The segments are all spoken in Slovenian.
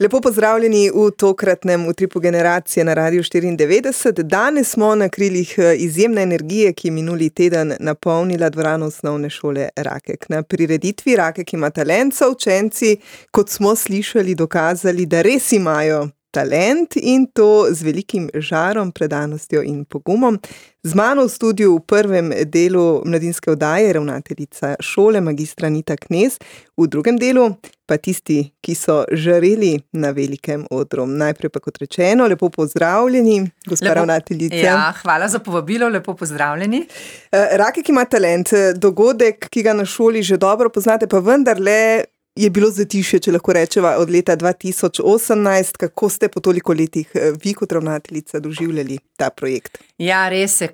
Lepo pozdravljeni v tokratnem Utripu generacije na Radiu 94. Danes smo na krilih izjemne energije, ki je minuli teden napolnila dvorano osnovne šole Rakek. Na prireditvi Rakek ima talent, so učenci, kot smo slišali, dokazali, da res imajo talent in to z velikim žarom, predanostjo in pogumom. Z mano v studiu v prvem delu mladinske oddaje ravnateljica šole, magistra Anita Knez, v drugem delu pa tisti, ki so žareli na velikem odru. Najprej pa kot rečeno, lepo pozdravljeni, gospa ravnateljica. Ja, hvala za povabilo, lepo pozdravljeni. Rakek ima talent, dogodek, ki ga na šoli že dobro poznate, pa vendarle je bilo zatišje, če lahko rečeva, od leta 2018. Kako ste po toliko letih vi kot ravnateljica doživljali ta projekt? Ja, res je,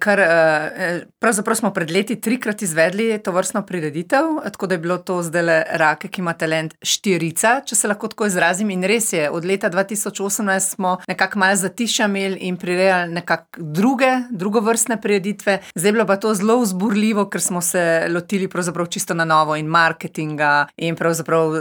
pravzaprav smo pred leti 3-krat izvedli to vrstno prireditev, tako da je bilo to zdajle Rakek ima talent 4, če se lahko tako izrazim, in res je, od leta 2018 smo nekako malo zatišja imeli in prirejali nekako drugovrstne prireditve. Zdaj je bilo pa to zelo vzburljivo, ker smo se lotili pravzaprav čisto na novo in marketinga in pravzaprav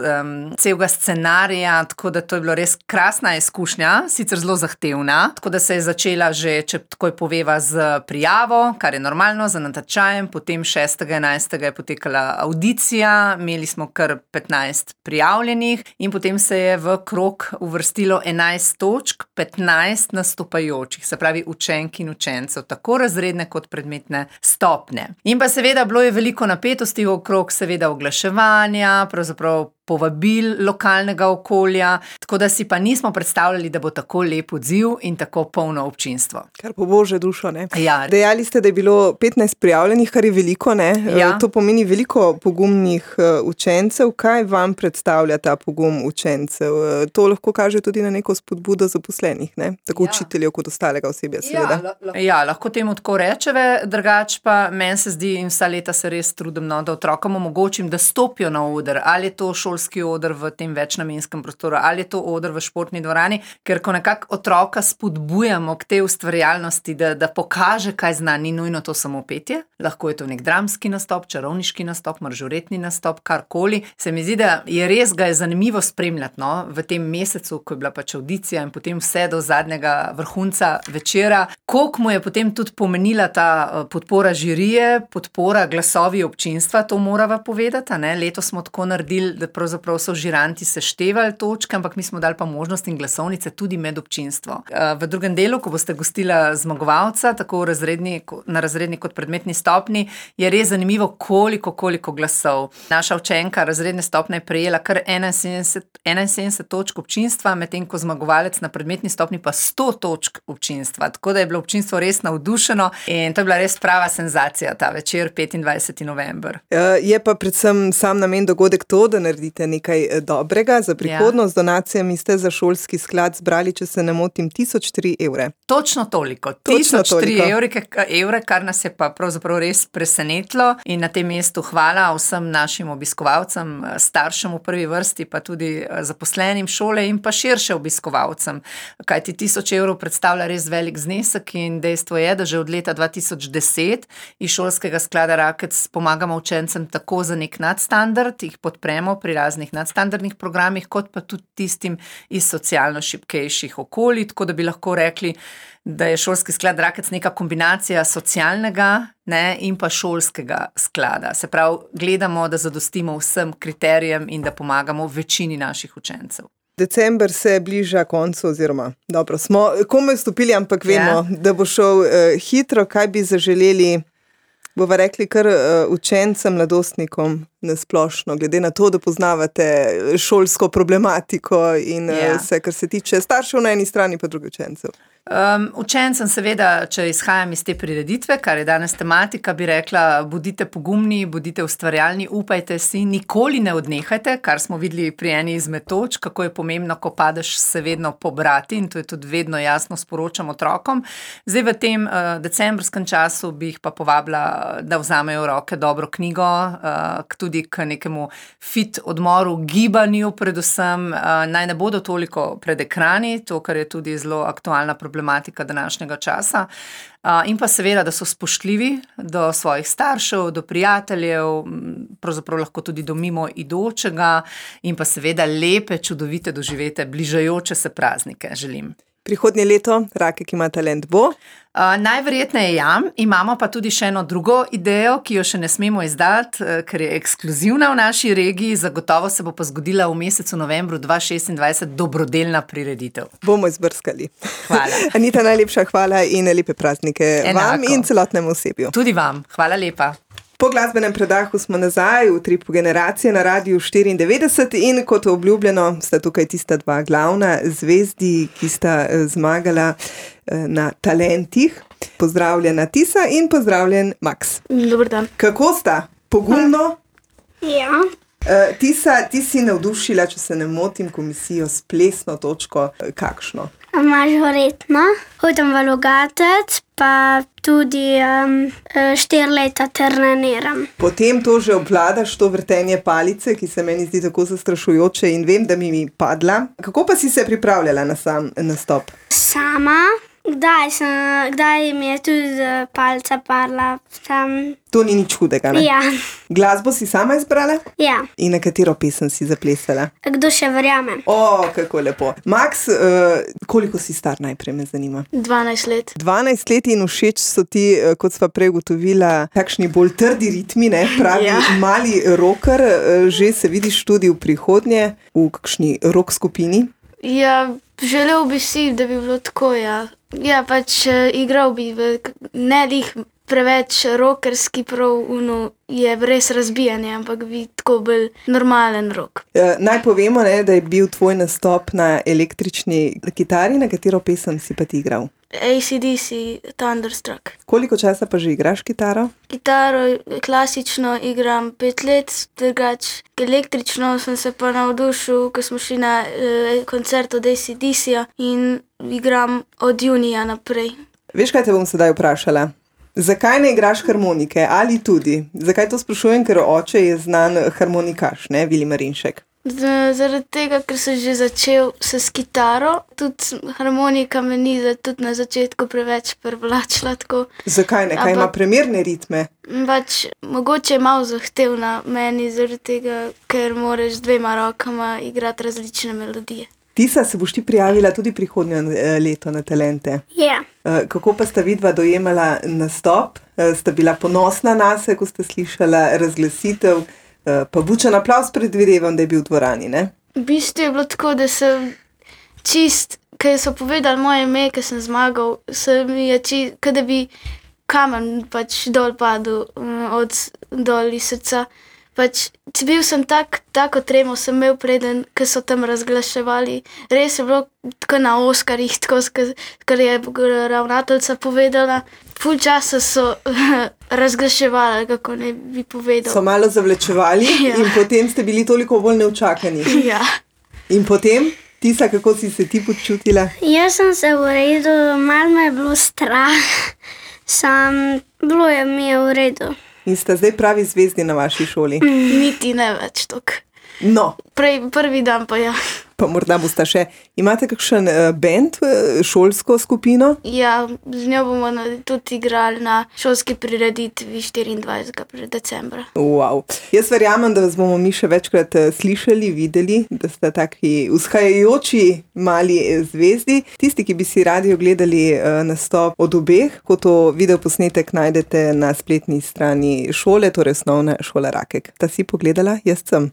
celega scenarija, tako da to je bilo res krasna izkušnja, sicer zelo zahtevna, tako da se je začela že, če takoj poveva, z prijavo, kar je normalno, za natečajem, potem 6.11. je potekala avdicija, imeli smo kar 15 prijavljenih in potem se je v krog uvrstilo 11 točk, 15 nastopajočih, se pravi učenk in učencev, tako razredne kot predmetne stopnje. In pa seveda bilo je veliko napetosti okrog, seveda oglaševanja, pravzaprav povabil lokalnega okolja, tako da si pa nismo predstavljali, da bo tako lep odziv in tako polno občinstvo. Kar po božjo dušo, ne? Ja. Dejali ste, da je bilo 15 prijavljenih, kar je veliko, ne? Ja. To pomeni veliko pogumnih učencev. Kaj vam predstavlja ta pogum učencev? To lahko kaže tudi na neko spodbudo zaposlenih, ne? Tako učiteljev kot ostalega osebja, seveda. Ja, lahko temu tako rečeve, drugače pa meni se zdi in vsa leta se res trudim, da otrokom omogočim, da stopijo na oder, ali je to šolski oder v tem večnamenskem prostoru, ali je to oder v športni dvorani, ker ko nekako otroka spodbujamo k tej ustvarjalnosti, da pokaže, kaj zna, ni nujno to samo petje, lahko je to nek dramski nastop, čarovniški nastop, maržoretni nastop, karkoli. Se mi zdi, da je res ga je zanimivo spremljati, no, v tem mesecu, ko je bila pač avdicija in potem vse do zadnjega vrhunca večera, koliko mu je potem tudi pomenila ta podpora žirije, podpora glasovi občinstva, to morava povedati, ne? Letos smo tako naredili, da pravzaprav so žiranti seštevali točke, ampak mi smo dali pa možnost in glasovnice tudi med občinstvo. V drugem delu, ko boste gostila zmagovalca, tako na razredni kot predmetni stopni, je res zanimivo, koliko glasov. Naša učenka razredne stopne je prejela kar 71 točk občinstva, medtem ko zmagovalec na predmetni stopni pa 100 točk občinstva. Tako da je bilo občinstvo res navdušeno in to je bila res prava senzacija ta večer, 25. november. Je pa predvsem sam namen dogodek to, da naredite nekaj dobrega za prihodnost. Donacijami ste za šolski sklad zbrali, če se ne motim, 1003 evre. Točno toliko. 1003 evre, kar nas je pa pravzaprav res presenetilo in na tem mestu hvala vsem našim obiskovalcem, staršem v prvi vrsti, pa tudi zaposlenim šole in pa širše obiskovalcem. Kajti 1000 evrov predstavlja res velik znesek in dejstvo je, da že od leta 2010 iz šolskega sklada Rakec pomagamo učencem tako za nek nadstandard, jih podpremo pri raznih nadstandardnih programih, kot pa tudi tistim iz socialno šibkejših okolij, tako da bi lahko rekli, da je šolski sklad Rakec neka kombinacija socialnega, ne, in pa šolskega sklada. Se pravi, gledamo, da zadostimo vsem kriterijem in da pomagamo večini naših učencev. December se bliža koncu, oziroma dobro, smo komaj vstopili, ampak vemo, da bo šel hitro. Kaj bi zaželeli, bova rekli, kar učencem, mladostnikom nasplošno, glede na to, da poznavate šolsko problematiko in vse, kar se tiče staršev na eni strani, pa drugih učencev? Učencem seveda, če izhajam iz te prireditve, kar je danes tematika, bi rekla, bodite pogumni, bodite ustvarjalni, upajte si, nikoli ne odnehajte, kar smo videli pri eni izmed točk, kako je pomembno, ko padeš, se vedno pobrati in to je tudi vedno jasno sporočam otrokom. Zdaj v tem decembrskem času bi jih pa povabila, da vzamejo v roke dobro knjigo, tudi tudi k nekemu fit odmoru, gibanju predvsem, naj ne bodo toliko pred ekrani, to, kar je tudi zelo aktualna problematika današnjega časa. In pa seveda, da so spoštljivi do svojih staršev, do prijateljev, pravzaprav lahko tudi do mimoidočega in pa seveda lepe, čudovite doživete, bližajoče se praznike želim. Prihodnje leto Rakek ima talent bo? Najverjetneje ja, imamo pa tudi še eno drugo idejo, ki jo še ne smemo izdati, ker je ekskluzivna v naši regiji, zagotovo se bo pa zgodila v mesecu novembru 2026 dobrodelna prireditev. Bomo izbrskali. Hvala. Anita, najlepša hvala in lepe praznike. Enako. Vam in celotnemu osebju. Tudi vam, hvala lepa. Po glasbenem predahu smo nazaj v Utripu generacije na Radiu 94 in kot obljubljeno sta tukaj tista dva glavna zvezdi, ki sta zmagala na talentih. Pozdravljena Tisa in pozdravljen Maks. Dober dan. Kako sta? Pogumno? Ja. Tisa, ti si navdušila, če se ne motim, komisijo s plesno točko. Kakšno? Mažoretno. Hodim v Logatec, pa tudi 4 leta treniram. Potem to že obvladaš, to vrtenje palice, ki se meni zdi tako zastrašujoče in vem, da mi padla. Kako pa si se pripravljala na sam nastop? Sama. Kdaj mi je tudi palica padla. To ni nič hudega, ne? Ja. Glasbo si sama izbrala? Ja. In na katero pesem si zaplesala? Kdo še verjame? O, kako lepo. Maks, koliko si star, najprej me zanima? 12 let. 12 let in všeč so ti, kot sva prej ugotovila, takšni bolj trdi ritmi, ne? Pravi mali rocker, že se vidiš tudi v prihodnje v kakšni rock skupini? Ja, želel bi si, da bi bilo tako, ja. Ja, pač igral bi ne lih preveč rockerski, prav je res razbijanje, ampak bi tako bolj normalen rock. Naj povemo, ne, da je bil tvoj nastop na električni kitari, na katero pesem si pa ti igral? AC/DC Thunderstruck. Koliko časa pa že igraš kitaro? Kitaro klasično igram 5 let, drugače električno sem se pa navdušil, ko smo šli na koncert od AC/DC-ja in igram od junija naprej. Veš, kaj te bom sedaj vprašala? Zakaj ne igraš harmonike? Ali tudi? Zakaj to sprašujem? Ker oče je znan harmonikaš, ne? Vili Marinšek. Zaradi tega, ker sem že začel se s kitaro, tudi harmonika me ni tudi na začetku preveč privlačila tako. Zakaj ne? Kaj ima primerne ritme? Pač mogoče je malo zahtevna meni, zaradi tega, ker moraš z 2 rokama igrati različne melodije. Tisa, se boš ti prijavila tudi prihodnje leto na talente? Ja. Kako pa sta vidva dojemala nastop? Sta bila ponosna nase, ko sta slišala razglasitev? Pa bučen aplavz predvidevam, da je bil v dvorani, ne? V bistvu je bilo tako, da sem čist, ko so povedali moje ime, ko sem zmagal, se mi je čist, kot da bi kamen pač dol padel dol iz srca. Pač bil sem tako tremo sem imel preden, ko so tam razglaševali. Res je bilo tako na Oskarjih, tako, kar je ravnateljica povedala. Ful časa so razglaševali, kako ne bi povedal. So malo zavlečevali in potem ste bili toliko bolj neučakani. Ja. In potem, Tisa, kako si se ti počutila? Jaz sem se v redu, malo me je bilo strah, bilo je mi v redu. In sta zdaj pravi zvezdi na vaši šoli? Niti ne več toliko. No. Prvi dan pa ja. Pa morda boste še. Imate kakšen band, šolsko skupino? Ja, z njo bomo tudi igrali na šolski prireditvi 24. decembra. Wow. Jaz verjamem, da vas bomo mi še večkrat slišali, videli, da ste taki vzhajajoči mali zvezdi. Tisti, ki bi si radi ogledali nastop od obeh, ko to videoposnetek najdete na spletni strani šole, torej Osnovna šola Rakek. Ta si pogledala? Jaz sem.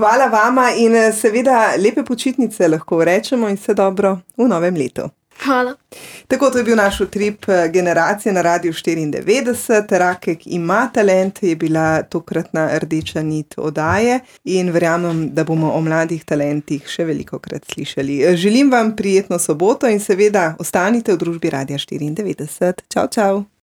Hvala vama in seveda lepe počitnice lahko rečemo in vse dobro v novem letu. Hvala. Tako, to je bil naš Utrip generacije na Radiu 94. Rakek ima talent, je bila tokratna rdeča nit oddaje in verjamem, da bomo o mladih talentih še velikokrat slišali. Želim vam prijetno soboto in seveda ostanite v družbi Radia 94. Čau, čau.